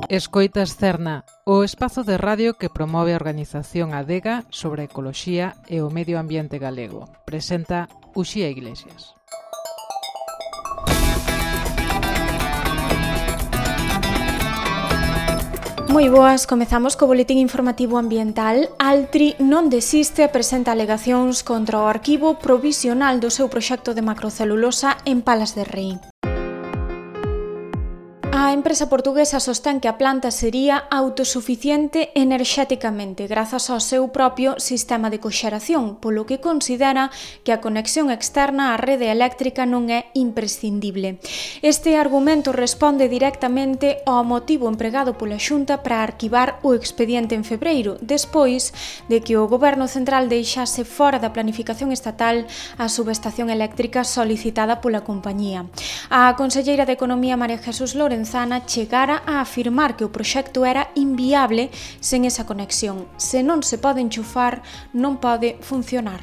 Escoitas Cerna, o espazo de radio que promove a organización Adega sobre a ecoloxía e o medio ambiente galego. Presenta Uxía Iglesias. Moi boas, comezamos co boletín informativo ambiental. Altri non desiste e presenta alegacións contra o arquivo provisional do seu proxecto de macrocelulosa en Palas de Rei. A empresa portuguesa sostén que a planta sería autosuficiente enerxéticamente grazas ao seu propio sistema de coxeración, polo que considera que a conexión externa á rede eléctrica non é imprescindible. Este argumento responde directamente ao motivo empregado pola Xunta para arquivar o expediente en febreiro, despois de que o Goberno Central deixase fora da planificación estatal a subestación eléctrica solicitada pola compañía. A conselleira de Economía María Jesús Lorenzana chegara a afirmar que o proxecto era inviable sen esa conexión. Se non se pode enchufar, non pode funcionar.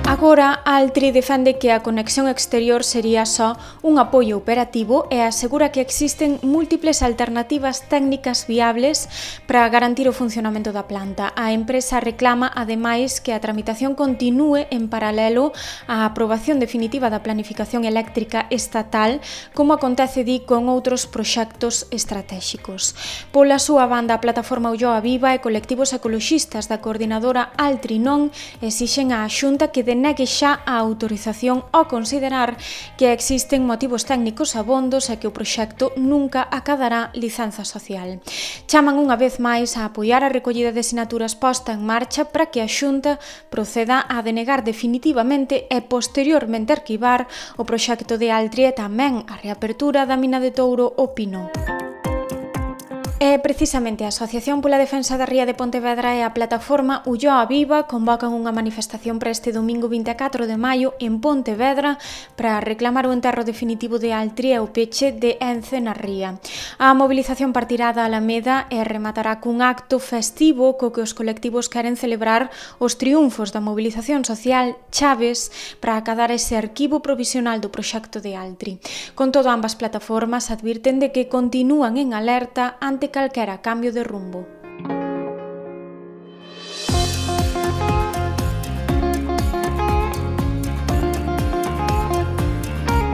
Agora, Altri defende que a conexión exterior sería só un apoio operativo e asegura que existen múltiples alternativas técnicas viables para garantir o funcionamento da planta. A empresa reclama, ademais, que a tramitación continúe en paralelo á aprobación definitiva da planificación eléctrica estatal, como acontece con outros proxectos estratéxicos. Pola súa banda, a plataforma Ulloa Viva e colectivos ecoloxistas da coordinadora Altri Non esixen á Xunta que negue xa a autorización ao considerar que existen motivos técnicos abondos e que o proxecto nunca acadará licenza social. Chaman unha vez máis a apoiar a recollida de sinaturas posta en marcha para que a Xunta proceda a denegar definitivamente e posteriormente arquivar o proxecto de Altri e tamén a reapertura da mina de Touro o Pino. E precisamente a Asociación pola Defensa da Ría de Pontevedra e a plataforma Ulloa Viva convocan unha manifestación para este domingo 24 de maio en Pontevedra para reclamar o enterro definitivo de Altri e o peche de Ence na ría. A mobilización partirá da Alameda e rematará cun acto festivo co que os colectivos queren celebrar os triunfos da mobilización social chaves para acadar ese arquivo provisional do proxecto de Altri. Con todo, ambas plataformas advirten de que continúan en alerta ante calquera cambio de rumbo.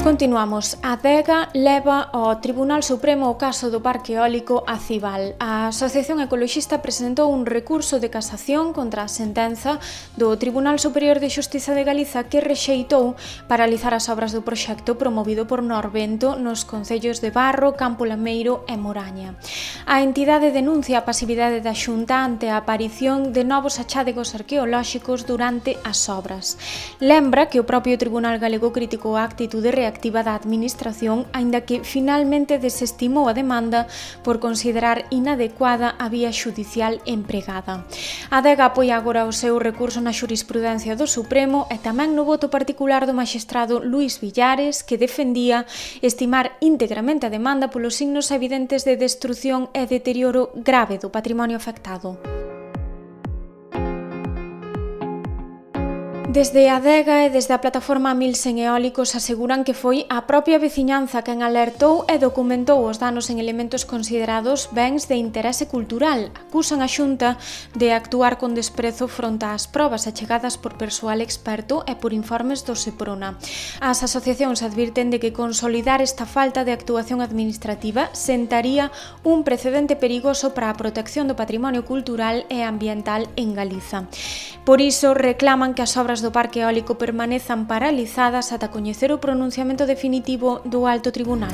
Continuamos. A Adega leva ao Tribunal Supremo o caso do Parque Eólico Acibal. A Asociación Ecoloxista presentou un recurso de casación contra a sentenza do Tribunal Superior de Xustiza de Galiza que rexeitou paralizar as obras do proxecto promovido por Norvento nos concellos de Barro, Campo Lameiro e Moraña. A entidade denuncia a pasividade da Xunta ante a aparición de novos achádegos arqueolóxicos durante as obras. Lembra que o propio Tribunal Galego criticou a actitude reactiva da Administración, aínda que finalmente desestimou a demanda por considerar inadecuada a vía xudicial empregada. A Adega apoia agora o seu recurso na xurisprudencia do Supremo e tamén no voto particular do maxistrado Luís Villares, que defendía estimar íntegramente a demanda polos signos evidentes de destrución e deterioro grave do patrimonio afectado. Desde a Adega e desde a plataforma Milsen Eólicos aseguran que foi a propia veciñanza quen alertou e documentou os danos en elementos considerados bens de interese cultural. Acusan a Xunta de actuar con desprezo fronte ás probas achegadas por persoal experto e por informes do Seprona. As asociacións advirten de que consolidar esta falta de actuación administrativa sentaría un precedente perigoso para a protección do patrimonio cultural e ambiental en Galiza. Por iso reclaman que as obras do Parque Eólico permanezan paralizadas ata coñecer o pronunciamento definitivo do Alto Tribunal.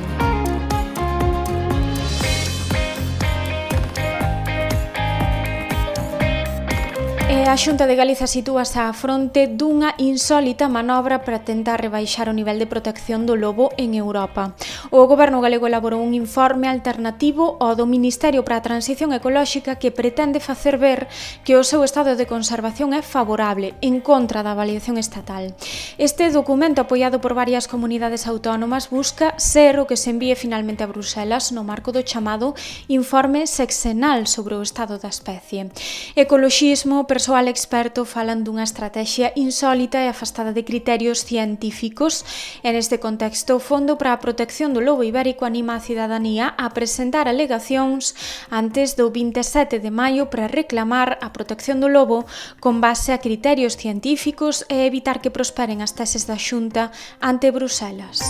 A Xunta de Galiza sitúase á fronte dunha insólita manobra para tentar rebaixar o nivel de protección do lobo en Europa. O Goberno galego elaborou un informe alternativo ao do Ministerio para a Transición Ecolóxica que pretende facer ver que o seu estado de conservación é favorable, en contra da avaliación estatal. Este documento, apoiado por varias comunidades autónomas, busca ser o que se envíe finalmente a Bruxelas no marco do chamado Informe Sexenal sobre o estado da especie. Ecoloxismo, persoal experto falan dunha estrategia insólita e afastada de criterios científicos. En este contexto, o Fondo para a Protección do Lobo Ibérico anima a cidadanía a presentar alegacións antes do 27 de maio para reclamar a protección do lobo con base a criterios científicos e evitar que prosperen as teses da Xunta ante Bruselas.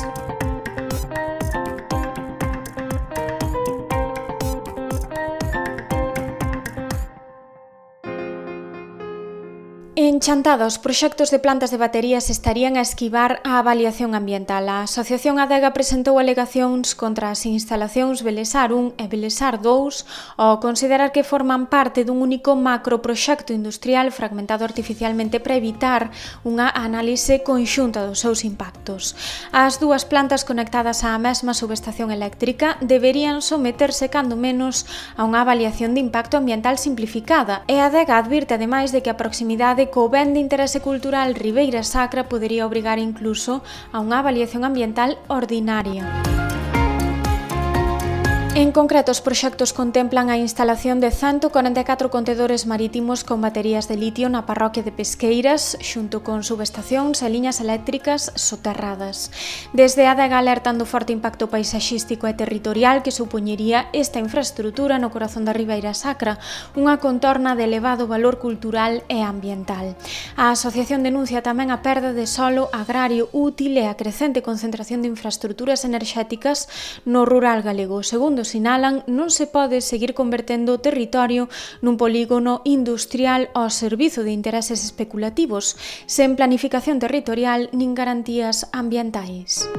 En Chantada, os proxectos de plantas de baterías estarían a esquivar a avaliación ambiental. A Asociación Adega presentou alegacións contra as instalacións Belesar 1 e Belesar 2 ao considerar que forman parte dun único macroproxecto industrial fragmentado artificialmente para evitar unha análise conxunta dos seus impactos. As dúas plantas conectadas á mesma subestación eléctrica deberían someterse cando menos a unha avaliación de impacto ambiental simplificada e a Adega advirte ademais de que a proximidade co ben de interese cultural Ribeira Sacra podería obrigar incluso a unha avaliación ambiental ordinaria. En concreto, os proxectos contemplan a instalación de 144 contedores marítimos con baterías de litio na parroquia de Pesqueiras, xunto con subestacións e liñas eléctricas soterradas. Desde a Adega alertan do forte impacto paisaxístico e territorial que supoñería esta infraestrutura no corazón da Ribeira Sacra, unha contorna de elevado valor cultural e ambiental. A asociación denuncia tamén a perda de solo agrario útil e a crecente concentración de infraestruturas enerxéticas no rural galego. Segundo sinalan, non se pode seguir convertendo o territorio nun polígono industrial ao servizo de intereses especulativos, sen planificación territorial nin garantías ambientais.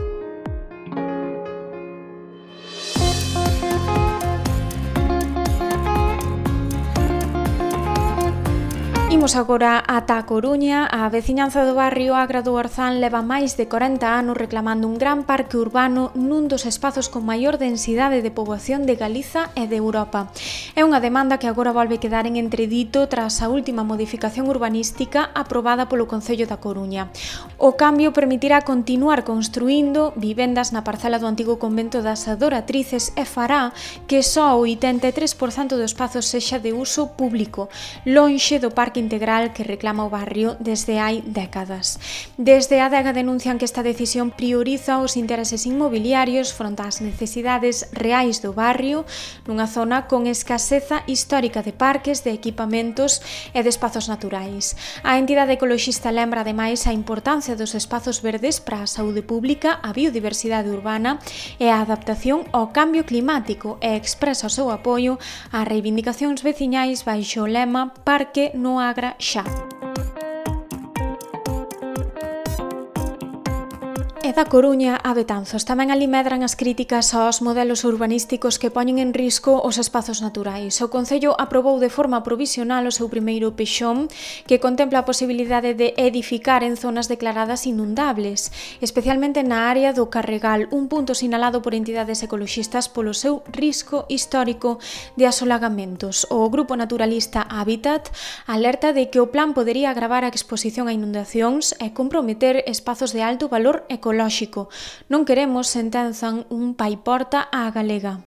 Imos agora ata a Coruña. A veciñanza do barrio Agra do Orzán leva máis de 40 anos reclamando un gran parque urbano nun dos espazos con maior densidade de poboación de Galiza e de Europa. É unha demanda que agora volve quedar en entredito tras a última modificación urbanística aprobada polo Concello da Coruña. O cambio permitirá continuar construindo vivendas na parcela do antigo convento das Adoratrices e fará que só o 83% do espazo sexa de uso público, lonxe do parque integral que reclama o barrio desde hai décadas. Desde a Adega denuncian que esta decisión prioriza os intereses inmobiliarios fronte ás necesidades reais do barrio nunha zona con escaseza histórica de parques, de equipamentos e de espazos naturais. A entidade ecoloxista lembra ademais a importancia dos espazos verdes para a saúde pública, a biodiversidade urbana e a adaptación ao cambio climático e expresa o seu apoio ás reivindicacións veciñais baixo o lema Parque no Agra xa. E da Coruña a Betanzos tamén ali medran as críticas aos modelos urbanísticos que poñen en risco os espazos naturais. O Concello aprobou de forma provisional o seu primeiro pexón que contempla a posibilidade de edificar en zonas declaradas inundables, especialmente na área do Carregal, un punto sinalado por entidades ecoloxistas polo seu risco histórico de asolagamentos. O grupo naturalista Hábitat alerta de que o plan podería agravar a exposición a inundacións e comprometer espazos de alto valor ecolóxico. Non queremos, sentenzan, un paiporta á galega.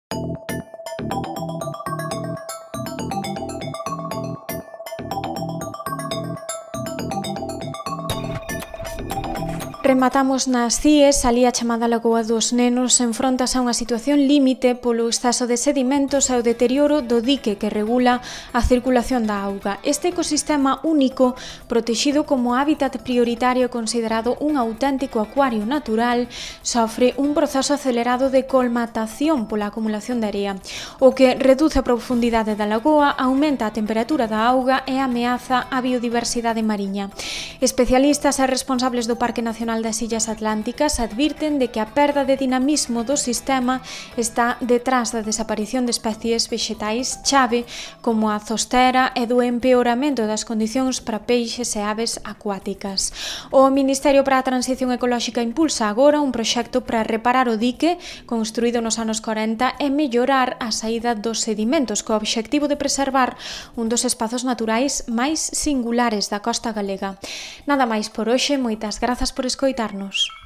Rematamos nas CIES, ali a chamada Lagoa dos Nenos enfrontas a unha situación límite polo exceso de sedimentos e o deterioro do dique que regula a circulación da auga. Este ecosistema único, protexido como hábitat prioritario considerado un auténtico acuario natural, sofre un proceso acelerado de colmatación pola acumulación de area, o que reduce a profundidade da lagoa, aumenta a temperatura da auga e ameaza a biodiversidade mariña. Especialistas e responsables do Parque Nacional das Illas Atlánticas advirten de que a perda de dinamismo do sistema está detrás da desaparición de especies vexetais chave como a zostera e do empeoramento das condicións para peixes e aves acuáticas. O Ministerio para a Transición Ecolóxica impulsa agora un proxecto para reparar o dique construído nos anos 40 e mellorar a saída dos sedimentos co obxectivo de preservar un dos espazos naturais máis singulares da costa galega. Nada máis por hoxe, moitas grazas por escoitarnos.